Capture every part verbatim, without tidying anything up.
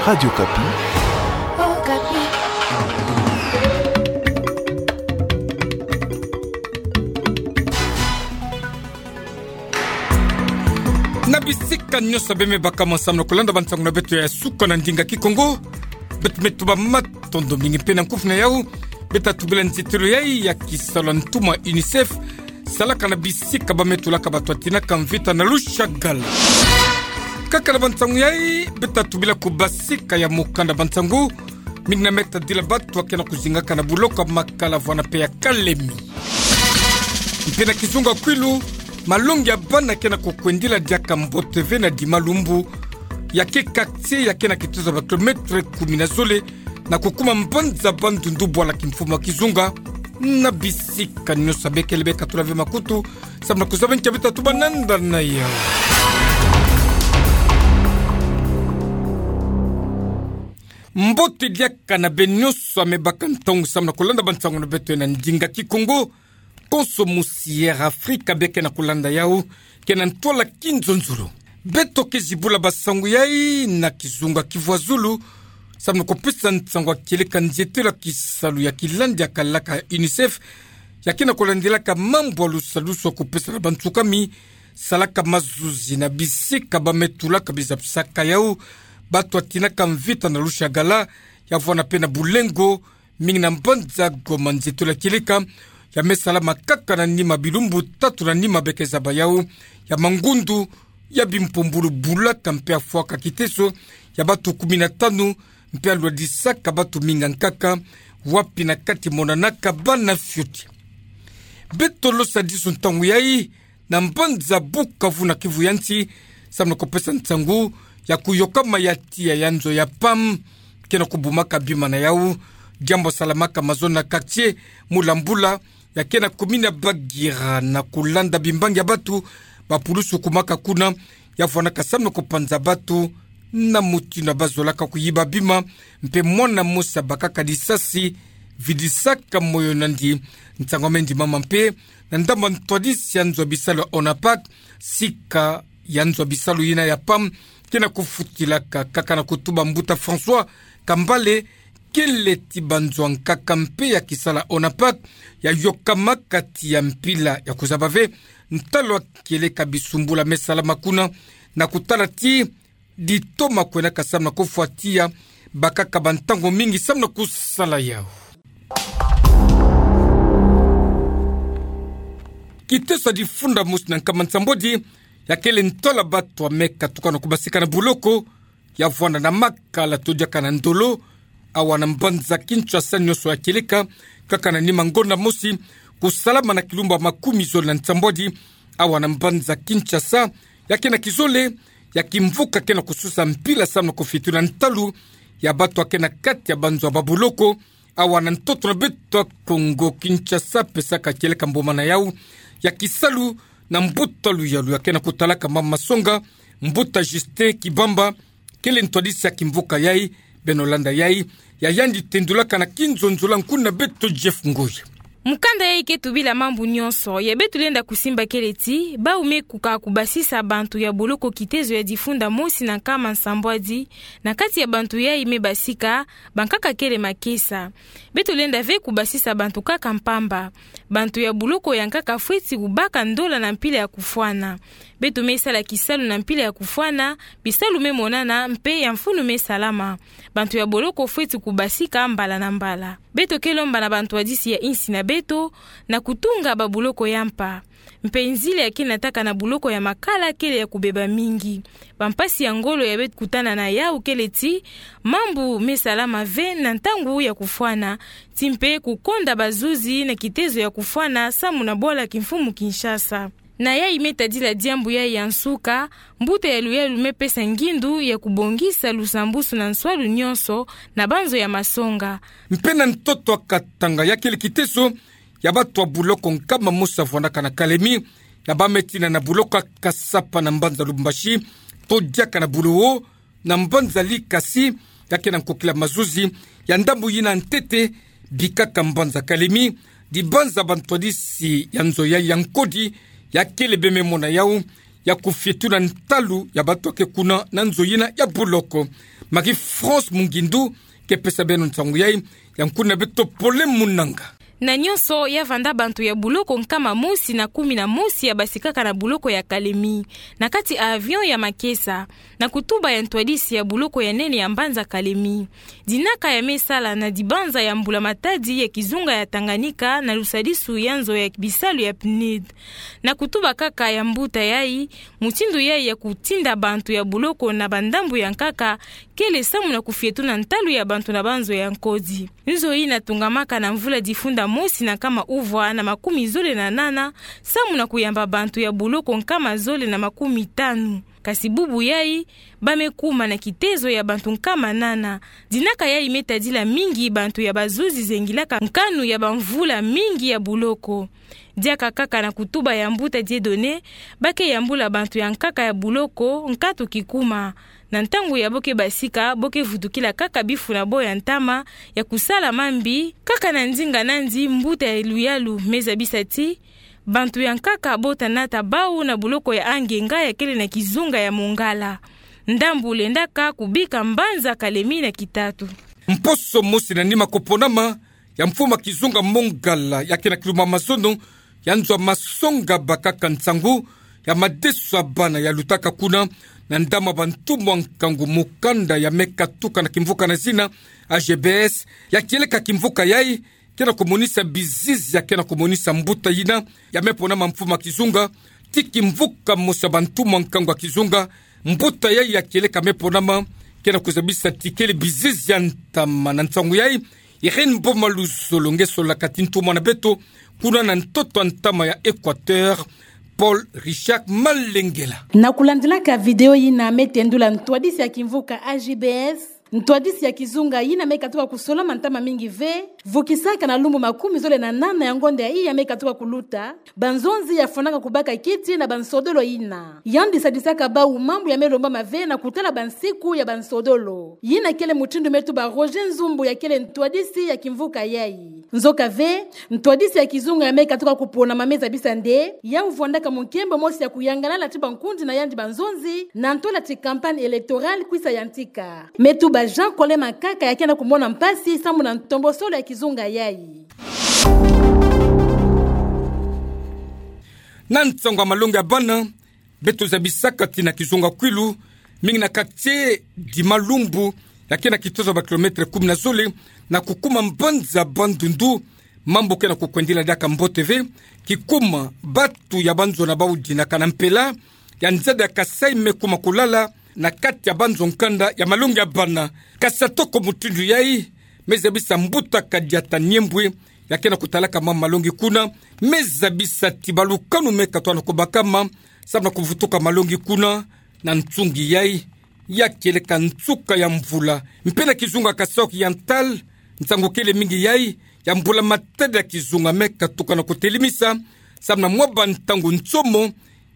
Radio Okapi. Na bisika nyonso bê me baka mo samu na kulanda bansangu na beto ya suka na ndinga Kikongo. Beto me tuba matondo mingi mpe na nkufi na yau. Beta tubila nzitelo yai ya kisalu ya ntuma UNICEF, salaka na bisika ba me tulaka bato batinaka mvita na Lushagala. Kaka na bansangu yai, beta tubila kubasika ya mukanda bansangu, mingi na me tadila bato ya ke na kuzingaka na buloko ya Makala vwanda mpe ya Kalemi. Mpe na kizunga kwilu, malongi ya bana ke na kukwendila diaka mbote ve na Dima Lumbu, ya ke quartier ya ke na kitozo ba kilometre kumi na zole, na kukuma mbanza Bandundu bwala kimfumu ya kizunga. Na bisika nyonso bê kele bê katula ve makutu, samu na kuzaba ntia beta tuba nanda na yau. Mbote diaka na bê nyonso ya me baka ntangu samu na kulanda bansangu na beto na ndinga Kikongo. Konso musi Air Afrika bê ke na kulanda yau, ke na ntwala kinzonzolo. Beto ke zibula bansangu yai na kizunga kivwazulu, samu na kupesa nsangu ya kieleka nzitelo ya kisalu ya kilandi ya kalaka UNICEF, ya ke na kulandilaka mambu ya lusalusu ya kupesa na bantsukami, salaka mazuzi na bisika ba me tulaka bizapisaka yau bato batinaka mvita na Lushagala, ya vwanda mpe na Bulengo, mingi na mbanza Goma. Nzitelo ya kieleka ya me salama kaka na nima bilumbu tatu na nima bê ke zaba yau, ya mangundu, ya bimpumbulu bulaka mpe ya fwaka kiteso ya bato kumi na tanu, mpe ya lwadisaka bato mingi ya nkaka, wapi na kati monanaka bana fioti. Beto losa disu ntangu yai na mbanza Bukavu na Kivu ya nsi, samu na kupesa nsangu ya kuyokama ya tiya ya nzo ya PAM, ke na kubumaka bima na yau, diambu ya salamaka mazono na quartier Mulambula, ya ke na commune ya Bagira, na kulanda bimbangi ya bato ba pulusu kumaka kuna, ya vwandaka samu na kupanza bato na mutindu ya ba zolaka kuyiba bima, mpe mwana mosi ya bakaka lisasi, vidisaka moyo na ndi. Nsangu ya me ndimama mpe na ndambu ya ntwadisi ya nzo ya bisalu ya ONAPAK, sika ya nzo ya bisalu yina ya PAM ke na kufutilaka, kaka na kutuba mbuta François Kambale, kele ti banzo ya nkaka mpe ya kisala ONAPAK ya yokama kati ya mpila ya kuzaba ve ntalu ya kieleka bisumbulu ya me salama kuna, na kutala ti ditoma kwendaka samu na kufwa tiya bakaka bantangu mingi samu na kusala yau. Kiteso ya difunda mosi na nkama nsambwadi ya kele ntwala bato ya me katuka na kubasika na buloko, ya vwanda na Makala to diaka na Ndolo, awa na mbanza Kinshasa, nyonso ya kieleka kaka na nima ngonda mosi, kusalama na kilumbu ya makumi zole na nsambwadi, awa na mbanza Kinshasa, ya ke na kizole ya kimvuka ke na kususa mpila samu na kufitu na ntalu ya bato ya ke na kati ya banzo ya babuloko, awa na ntoto na beto ya Kongo. Kinshasa pesaka kieleka mbuma na yau ya kisalu na mbuta luyalu ya ke na kutalaka mama masonga, mbuta Justin Kibamba, kele ntwadisi ya kimvuka yai. Beno landa yai, ya yandi tendulaka na kinzonzolo nkuna beto Jeff Ngoy. Mukanda yai ke tubila mambu nyonso, ya beto lenda kusimba kele ti, bau me kuka kubasisa bantu ya boloko kitezo ya difunda mosi na nkama nsambwadi, na kati ya bantu yai me basika, bankaka kele makesa. Beto lenda ve kubasisa bantu kaka mpamba. Bantu ya boloko ya nkaka fweti kubaka ndola na mpila ya kufwana. Beto me sala kisalu na mpila ya kufwana, bisalu me monana mpe ya mfunu me salama. Bantu ya boloko fweti kubasika mbala na mbala. Beto ke lomba na bantwadisi ya insi na beto, na kutunga babuloko ya mpa. Mpe nzila ya ke nataka na buloko ya Makala kele ya kubeba mingi. Bampasi ya ngolo ya beto kutana na yau kele ti, mambu me salama ve na ntangu ya kufwana, ti mpe kukonda bazuzi na kitezo ya kufwana samu na bwala kimfumu Kinshasa. Na yai me tadila diambu yai ya nsuka, mbuta ya luyalu me pesa ngindu ya kubongisa lusambusu na nswalu nyonso na banzo ya masonga. Mpe na ntoto ya Katanga ya kele kiteso ya bato ya buloko nkama mosi ya vwandaka na Kalemi, ya ba me tina na buloko ya Kasapa na mbanza Lubumbashi, to diaka na Bulowo, na mbanza Likasi, ya ke na nkokila mazuzi ya ndambu yina ntete, bikaka mbanza Kalemi, dibanza bantwadisi ya nzo yai ya nkodi, ya kele be me mona yau, ya kufitu na ntalu ya bato ya ke kuna na nzo yina ya buloko. Marie-France Mungindu ke pesa beno nsangu yai, ya nkuna beto Pauline Munanga. Na nyonso ya vanda bantu ya buloko nkama mosi na kumi na mosi ya basikaka na buloko ya Kalemi, na kati avion ya makesa, na kutuba ya ntwadisi ya buloko ya nene ya mbanza Kalemi. Dinaka ya me sala na dibanza ya mbula-matadi ya kizunga ya Tanganyika na lusadisu ya nzo ya bisalu ya PNUD. Na kutuba kaka ya mbuta yai, mutindu yai ya kutinda bantu ya buloko na bandambu ya nkaka kele samu na kufietuna ntalu ya bantu na banzo ya nkodi. Nzo yina tungamaka na mvula difunda mosi na nkama uvwa na makumi zole na nana, samu na kuyamba bantu ya buloko nkama zole na makumi tanu. Kasi bubu yai, ba me kuma na kitezo ya bantu nkama nana. Dinaka yai me tadila mingi bantu ya bazuzi zengilaka nkanu ya bamvula mingi ya buloko. Diaka kaka na kutuba ya mbuta Dieudonné, ba ke yambula bantu ya nkaka ya buloko nkatu kikuma. Na ntangu ya bo ke basika, bo ke vutukila kaka bifu na bo ya ntama ya kusala mambi, kaka na ndinga nandi mbuta ya luyalu me zabisa ti bantu ya nkaka bo tanata bau na buloko ya angenga ya kele na kizunga ya Mongala. Ndambu lendaka kubika mbanza Kalemi na kitatu. Mposo mosi na nima koponama ya mfuma kizunga Mongala ya ke na kiluma mazono ya nzo ya masonga bakaka nsangu ya madeso ya bana ya lutaka kuna na ndama bantumwa nkangu mukanda ya me katuka na kimvuka na zina A G B S, ya kieleka kimvuka yai ke na kumonisa bizizi ya ke na kumonisa mbuta yina ya me ponama mfuma kizunga, ti kimvuka mosi ya bantumwa nkangu ya kizunga. Mbuta yai ya kieleka me ponama ke na kuzabisa ti kele bizizi ya ntama. Na nsangu yai, Irène Boma Luzolo nge solaka ti ntumwa na beto kuna na ntoto ya ntama ya Équateur, Paul Richard Malengela. Na kulandilaka video yina me tendula ntwadisi ya kimvuka A G B S, ntwadisi ya kizunga yina me katuka kusolama ntama mingi ve, vukisaka na lumbu makumi zole na nana ya ngonda ya iya me katuka kuluta, banzonzi ya fwanaka kubaka kiti na bansodolo yina. Yandi sadisaka bau mambu ya me lombama ve na kutala bansiku ya bansodolo. Yina kele mutindu me tuba Roger Nzumbu ya kele ntwadisi ya kimvuka yai. Nzoka ve, ntwadisi ya kizunga ya me katuka kuponama me zabisa nde, yau vwandaka munkembo mosi ya kuyangalala ti bankundi na yandi banzonzi, na ntola ti campagne électorale kwisa yantika. Me tuba Jean Colin Makaka ya ke na kumona mpasi samu na ntombosolo ya kizunga yai. Na nsangu ya malongi ya bana, beto zabisaka ti na kizunga Kwilu, mingi na quartier di Malumbu, ya ke na kitozo ya ba kilomètre kumi na zole, na kukuma mbanza Bandundu, mambu ke na kukwendila diaka mbote ve, kikuma batu ya banzo na bau dinaka na mpela ya nzadi ya Kasaï me kuma kulala na kati ya banzo nkanda ya malongi ya bana. Kasi atoko mutindu yai, me zabisa mbuta Kadiata Niembwe, ya ke na kutalaka mambu malongi kuna, me zabisa ti balukanu me katwa na kubakama samu na kuvutuka malongi kuna, na nsungi yai ya kieleka nsuka ya mvula. Mpe na kizunga Kasaï Oriental, nsangu kele mingi yai, ya mbula-matadi ya kizunga me katuka na kutelimisa, samu na mwa bantangu nsomo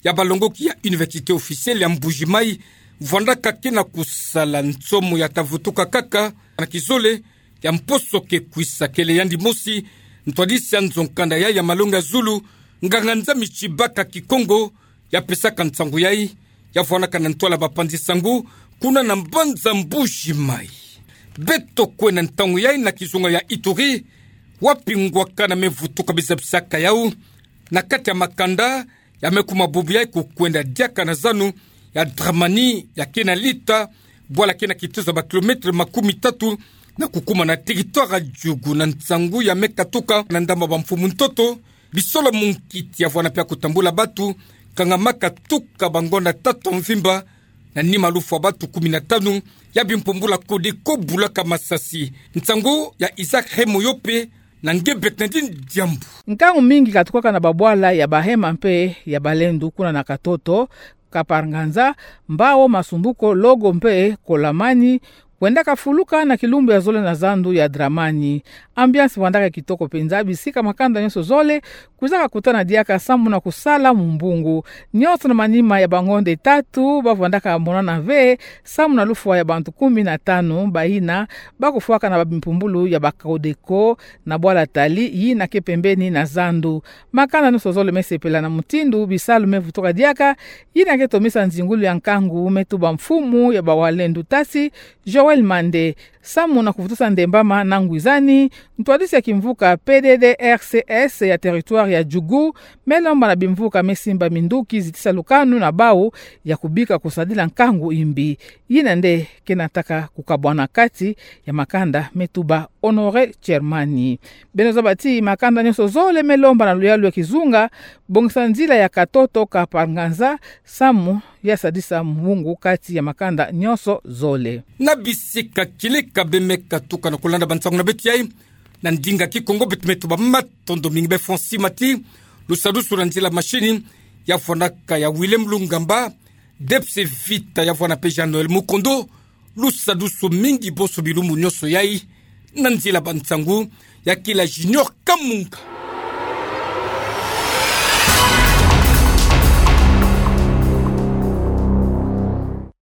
ya balongoki ya Université officielle ya Mbuji-Mayi, vwandaka ke na kusala nsomo ya ta vutuka kaka na kizole ya mposo ke kwisa. Kele yandi mosi ntwadisi ya nzo nkanda yai ya malongi ya zulu, nganga Nzambi Tshibaka Kikongo, ya pesaka nsangu yai, ya vwanaka na ntwala bapanzi nsangu kuna na mbanza Mbuji-Mayi. Beto kwenda ntangu yai na kizunga ya Ituri, wapi ngwakana me vutuka, me zabisaka yau na kati ya makanda, ya me kuma bubu yai kukwenda diaka na zanu ya Dramani, ya ke na lita, bwala ke na kitozo ya ba kilomètre makumi tatu, na kukuma na territoire ya Djugu. Na nsangu ya me katuka na ndambu ya bamfumu ntoto, bisolo munkiti ya vwana mpe ya kutambula batu, kanga ma katuka bangonda tatu ya mvimba, na nima lufwa batu kumi na tanu ya bimpumbula Codeco bulaka masasi. Nsangu ya Isaac Remoyope, na nge Bernardine Diambu. Nkangu mingi katukaka na babwala ya bahema mpe ya balendu kuna na Katoto, Kaparanganza, Mbao, Masumbuko, Logo mpe Kolamani, wendaka fuluka na kilumbu ya zole na zandu ya Dramani. Ambiance vwandaka kitoko mpenza, bisika makanda nyonso zole kwizaka kutana diaka samu na kusala mumbungu. Nyonso na manima ya bangonde tatu, bavwandaka monana ve samu na lufwa ya bantu kumi na tanu, bayina bakufwaka na babimpumbulu ya ba Codeco na bwala Tali, yina ke pembeni na zandu. Makanda nyonso zole mesepela na mutindu bisalu mevutuka diaka, yina ke tomisa nzingulu ya nkangu me tuba mfumu ya ba Walendu Tasi, Joël Mande, samu na kuvutusa ndembama na ngwizani. Ntwadisi ya kimvuka P D D R C S ya territoire ya Djugu melomba na bimvuka mesimba minduki zitisa lukanu na bau ya kubika kusadila nkangu imbi. Yina nde ke nataka kukabwana kati ya makanda, me tuba Honoré Tchermani. Beno zaba ti makanda nyonso zole melomba na luyalu ya kizunga bongisa nzila ya katoto ka par nganza, samu ya sadisa mbungu kati ya makanda nyonso zole. Na bisika kileka bemeka tuka na kulanda bansangu na beto yai na ndinga Kikongo, beto me tuba matondo mingi be Francis Mati, lusadusu na nzila mashini ya vwanaka ya Willem Lungamba, Debse Vita ya vwana pe Jean Noël Mukondo, lusadusu mingi bonso bilumbu nyonso yai. Na nzila bansangu ya kila Junior Kamunga.